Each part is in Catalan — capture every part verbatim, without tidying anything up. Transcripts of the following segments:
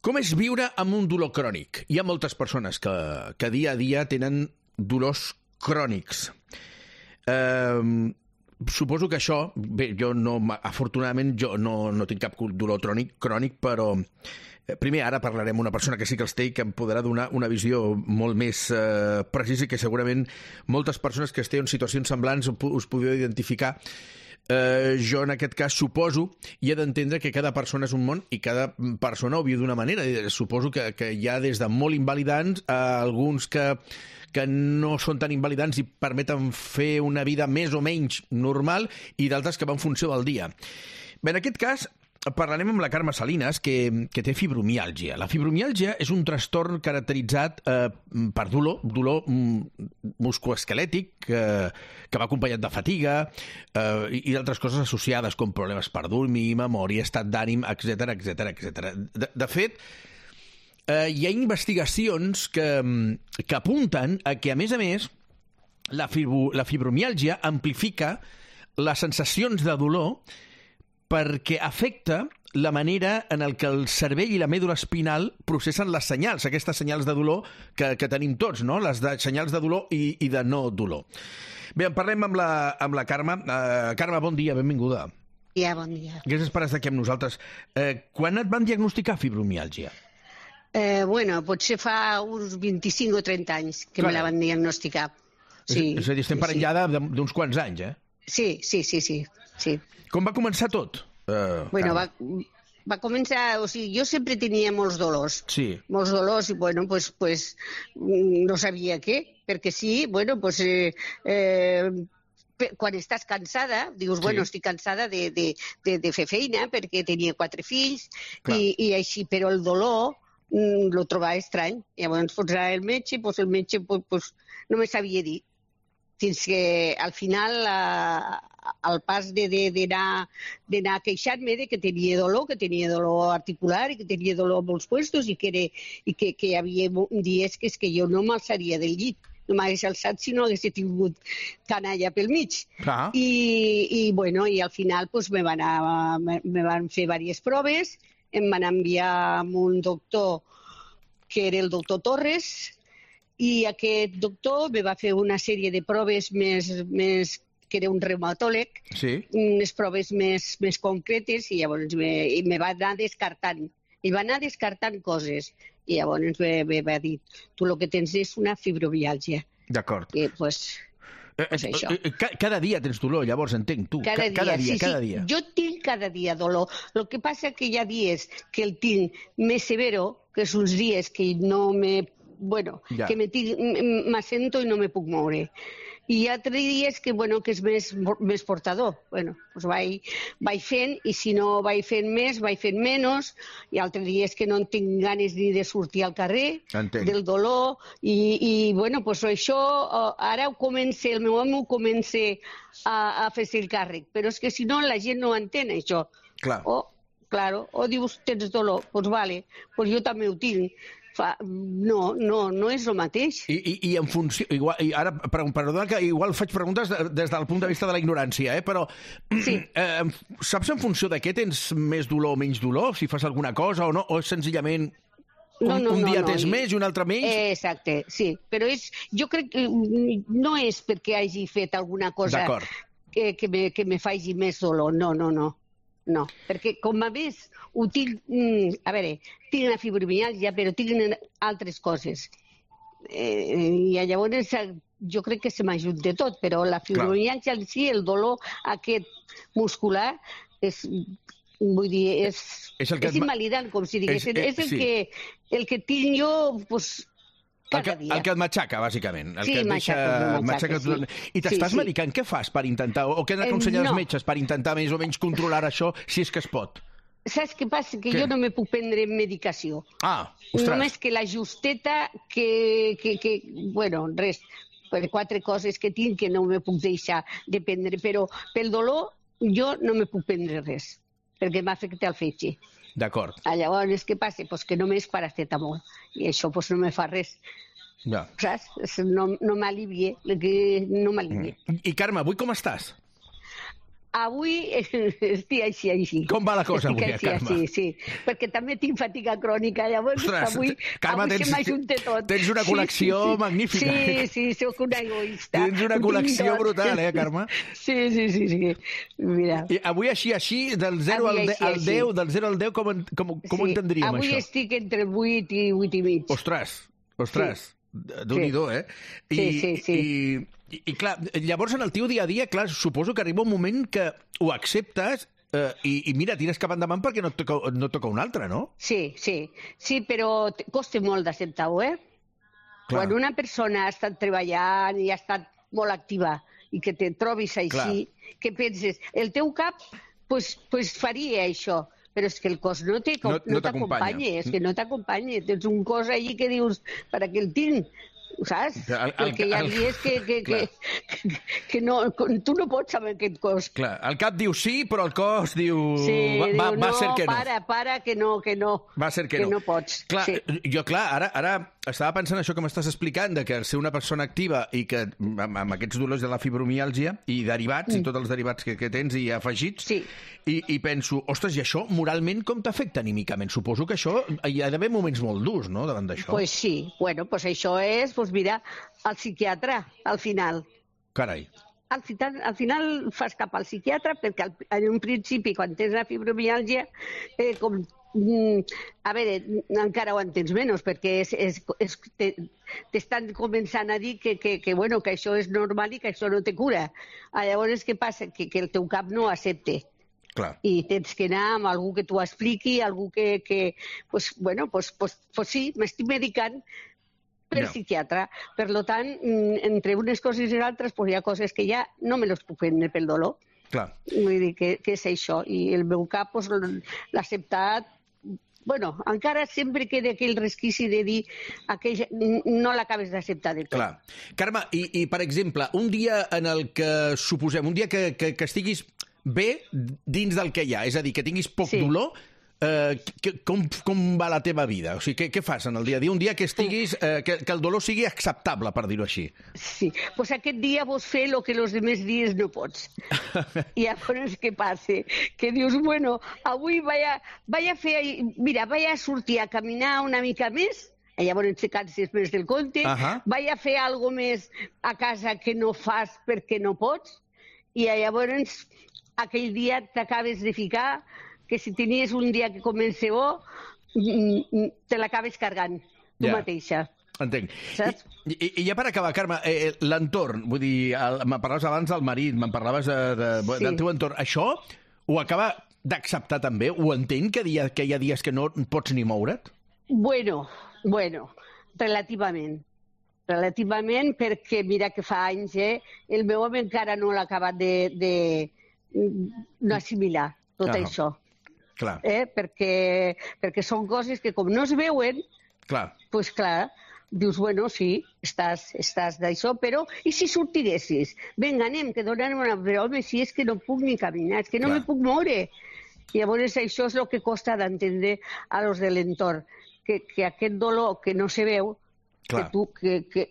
Com és viure amb un dolor crònic? Hi ha moltes persones que, que dia a dia tenen dolors crònics. Eh, suposo que això, bé, jo no, afortunadament jo no, no tinc cap dolor crònic, crònic, però primer ara parlarem amb una persona que sí que els té i que em podrà donar una visió molt més eh, precisa i que segurament moltes persones que esteu en situacions semblants us podeu identificar. Uh, jo en aquest cas suposo i he d'entendre que cada persona és un món i cada persona ho viu d'una manera. Suposo que, que hi ha des de molt invalidants a alguns que, que no són tan invalidants i permeten fer una vida més o menys normal i d'altres que van en funció del dia. Bé, en aquest cas parlarem amb la Carme Salinas, que, que té fibromiàlgia. La fibromiàlgia és un trastorn caracteritzat eh, per dolor, dolor musculoesquelètic eh, que va acompanyat de fatiga eh, i, i d'altres coses associades com problemes per dormir, memòria, estat d'ànim, etcètera, etcètera, etcètera. De, de fet, eh, hi ha investigacions que, que apunten a que, a més a més, la, fibro, la fibromiàlgia amplifica les sensacions de dolor perquè afecta la manera en el que el cervell i la mèdula espinal processen les senyals, aquestes senyals de dolor que, que tenim tots, no? Les de, senyals de dolor i, i de no dolor. Bé, en parlem amb la, amb la Carme. Uh, Carme, bon dia, benvinguda. Ja, bon dia. Gràcies per estar aquí amb nosaltres. Uh, quan et van diagnosticar fibromiàlgia? Eh, bueno, potser fa uns vint-i-cinc o trenta anys que Clar. me la van diagnosticar. Sí, és, és a dir, estem sí, parlant sí. ja d'uns quants anys, eh? Sí, sí, sí, sí. sí. Com va començar tot? Uh, bueno, va, va començar... O sigui, jo sempre tenia molts dolors. Sí. Molts dolors i, bueno, pues, pues no sabia què, perquè sí, bueno, pues... Eh, eh, quan estàs cansada, dius, bueno, sí. estic cansada de, de, de, de fer feina perquè tenia quatre fills i, i així, però el dolor mm, lo trobava estrany. Llavors, pues, el metge, pues, el metge pues, pues, no me sabia dir. Fins que al final, a, al pas d'anar a queixar-me de que tenia dolor, que tenia dolor articular i que tenia dolor a molts puestos i que, era, i que, que hi havia dies que, és que jo no m'alçaria del llit. No m'hagués alçat si no hagués tingut canalla pel mig. Ah. I, i, bueno, i al final pues, me, van a, me, me van fer diverses proves, em van enviar amb un doctor que era el doctor Torres, i aquest doctor me va fer una sèrie de proves més, més que era un reumatòleg, sí. unes proves més, més concretes, i llavors me, i me va anar descartant. I va anar descartant coses. I llavors me, me va dir, tu el que tens és una fibromiàlgia. D'acord. I, pues, pues això. Cada dia tens dolor, llavors entenc, tu. Cada dia, cada dia, sí, cada sí. dia. Jo tinc cada dia dolor. El que passa que hi ha dies que el tinc més severo, que són uns dies que no me... Bueno, ja. que m'assento i no me puc moure. I hi ha altres dies que, bueno, que és més, més portador. Bueno, doncs vaig, vaig fent, i si no vaig fent més, vaig fent menys. Hi ha altres dies que no en tinc ganes ni de sortir al carrer, Entenc. del dolor. I, i bueno, doncs això, ara ho comença, el meu home ho comença a, a fer-se el càrrec. Però és que si no, la gent no entén, això. Clar. O, claro, o dius, tens dolor, doncs vale, doncs jo també ho tinc. Fa, no, no, no és el mateix. I, i, i en funció... Igual, i ara, perdona que igual faig preguntes des del punt de vista de la ignorància, eh? Però sí. eh, saps en funció de què tens més dolor o menys dolor? Si fas alguna cosa o no? O senzillament un, no, no, un dia no, no. tens més i un altre menys? Exacte, sí. Però és, jo crec que no és perquè hagi fet alguna cosa que, que, me, que me faci més dolor. No, no, no. No, perquè com a més ho tinc, mm, a veure, tinc la fibromiàlgia, però tinc altres coses. Eh, I llavors jo crec que se m'ajunta tot, però la fibromiàlgia en si, el dolor aquest muscular, és, vull dir, és, és, és invalidant, com si digués. És, és, és el, sí. que, el que tinc jo, doncs, el que, el que et matxaca, bàsicament. El sí, que et matxaca, deixa, matxaca, matxaca sí. I t'estàs sí, sí. medicant? Què fas per intentar... O què n'aconsellen eh, no. els metges per intentar més o menys controlar això, si és que es pot? Saps què passa? Que què? jo no me puc prendre medicació. Ah, ostres. Només que la justeta, que, que, que... Bueno, res, per quatre coses que tinc que no me puc deixar de prendre. Però pel dolor jo no me puc prendre res, perquè m'afecta el fetge. D'acord. Llavors, què passa? Pues que només paracetamol. I això pues, no me fa res. Ja. Saps? No, no m'alivia. No m'alivia. I, Carme, avui com estàs? Avui estic així, així. Com va la cosa avui, així, Carme? Sí, sí, perquè també tinc fatiga crònica, llavors Ostres, avui, Carme, avui tens, se m'ajunta tot. Tens una col·lecció sí, sí, sí. magnífica. Sí, sí, sóc una egoista. Tens una col·lecció brutal, eh, Carme? Sí, sí, sí, sí. Mira. I avui així, així, del zero al, de, al deu, del zero al deu, com, com, com sí. entendríem avui això? Avui estic entre vuit i vuit i mig. Ostres, ostres. Sí. Déu-n'hi-do, eh? I, sí, sí, sí. I, i, I, clar, llavors en el teu dia a dia, clar, suposo que arriba un moment que ho acceptes eh, i, i mira, tires cap endavant perquè no et toca, no et toca un altre, no? Sí, sí, sí, però costa molt d'acceptar-ho, eh? Clar. Quan una persona ha estat treballant i ha estat molt activa i que te trobis així, clar, que penses, el teu cap pues, pues faria això, però és que el cos no no, no t'acompanya, és que no t'acompanya. Tens un cos allí que dius, per a què el tinc? Saps? El, el, el que hi ha el, és que, que, que, que, que no, tu no pots amb aquest cos. Clar, el cap diu sí, però el cos diu... Sí, va, diu, va, va no, ser que no. para, para, que no, que no. Va ser que, que no. no pots. Clar, sí. Jo, clar, ara, ara estava pensant això que m'estàs explicant, de que ser una persona activa i que amb, amb aquests dolors de la fibromiàlgia i derivats, mm. i tots els derivats que, que tens i afegits, sí. i, i penso, ostres, i això moralment com t'afecta anímicament? Suposo que això hi ha d'haver moments molt durs, no?, davant d'això. Pues sí, bueno, pues això és, pues mira, al psiquiatre, al final. Carai. Al final, al final fas cap al psiquiatre perquè al, en un principi, quan tens la fibromiàlgia, eh, com, mm, a veure, encara ho entens menys perquè és, és, és, te, t'estan començant a dir que, que, que, bueno, que això és normal i que això no te cura. Llavors, què passa? Que, que el teu cap no accepte. Clar. I tens que anar amb algú que t'ho expliqui, algú que, que pues, bueno, pues, pues, pues sí, m'estic medicant per no. psiquiatre. Per lo tant, entre unes coses i altres, pues, hi ha coses que ja no me les puc prendre pel dolor. Clar. Vull dir que, que és això. I el meu cap pues, l'ha acceptat. Bueno, encara sempre queda aquell resquici de dir aquell, no l'acabes d'acceptar de tot. Clar. Carme, i, i per exemple, un dia en el que suposem, un dia que, que, que estiguis bé dins del que hi ha, és a dir, que tinguis poc sí. dolor, eh, que, com, com va la teva vida? O sigui, què, què fas en el dia a dia? Un dia que estiguis, eh, que, que el dolor sigui acceptable, per dir-ho així. Sí, doncs pues aquest dia vols fer el que els altres dies no pots. I llavors què passa? Que dius, bueno, avui vaig a, vaig a fer, mira, vaig a sortir a caminar una mica més, i llavors te canses més del compte, uh -huh. vaig a fer alguna més a casa que no fas perquè no pots, i llavors aquell dia t'acabes de ficar que si tenies un dia que comença bo, te l'acabes cargant tu yeah. mateixa. Entenc. Saps? I, i, I ja per acabar, Carme, eh, l'entorn, vull dir, el, me'n parlaves abans del marit, me'n parlaves de, de, sí. del teu entorn. Això ho acaba d'acceptar també? Ho entén, que, dia, que hi ha dies que no pots ni moure't? Bueno, bueno, relativament. Relativament, perquè mira que fa anys, eh, el meu home encara no l'ha acabat de, de no assimilar tot ah, això. Clar. Eh? Perquè, perquè són coses que com no es veuen, clar. Pues clar, dius, bueno, sí, estàs, estàs d'això, però i si sortiressis? Vinga, anem, que donem una... Però, home, si és que no puc ni caminar, és que no clar. me puc moure. I llavors això és el que costa d'entendre a los de l'entorn, que, que aquest dolor que no se veu, que, tu, que, que,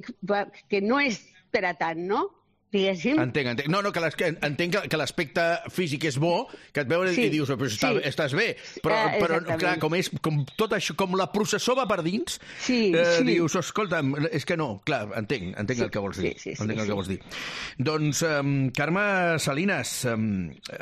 que no és per a tant, no? Diguéssim. Entenc, entenc. No, no, que entenc que, que l'aspecte físic és bo, que et veuen sí, i dius, però està, sí. estàs bé, però, uh, però clar, com, és, com tot això, com la processó va per dins, sí, eh, sí. dius, escolta'm, és que no, clar, entenc, entenc sí, el que vols dir. Sí, sí, entenc sí, el que vols dir. Doncs, um, Carme Salinas, um,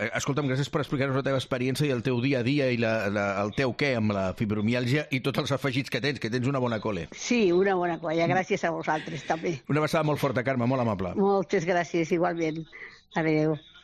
escolta'm, gràcies per explicar-nos la teva experiència i el teu dia a dia i la, la, el teu què amb la fibromiàlgia i tots els afegits que tens, que tens una bona cole. Sí, una bona colla, gràcies a vosaltres també. Una abraçada molt forta, Carme, molt amable. Moltes gràcies. Gràcies, igualment. Adéu.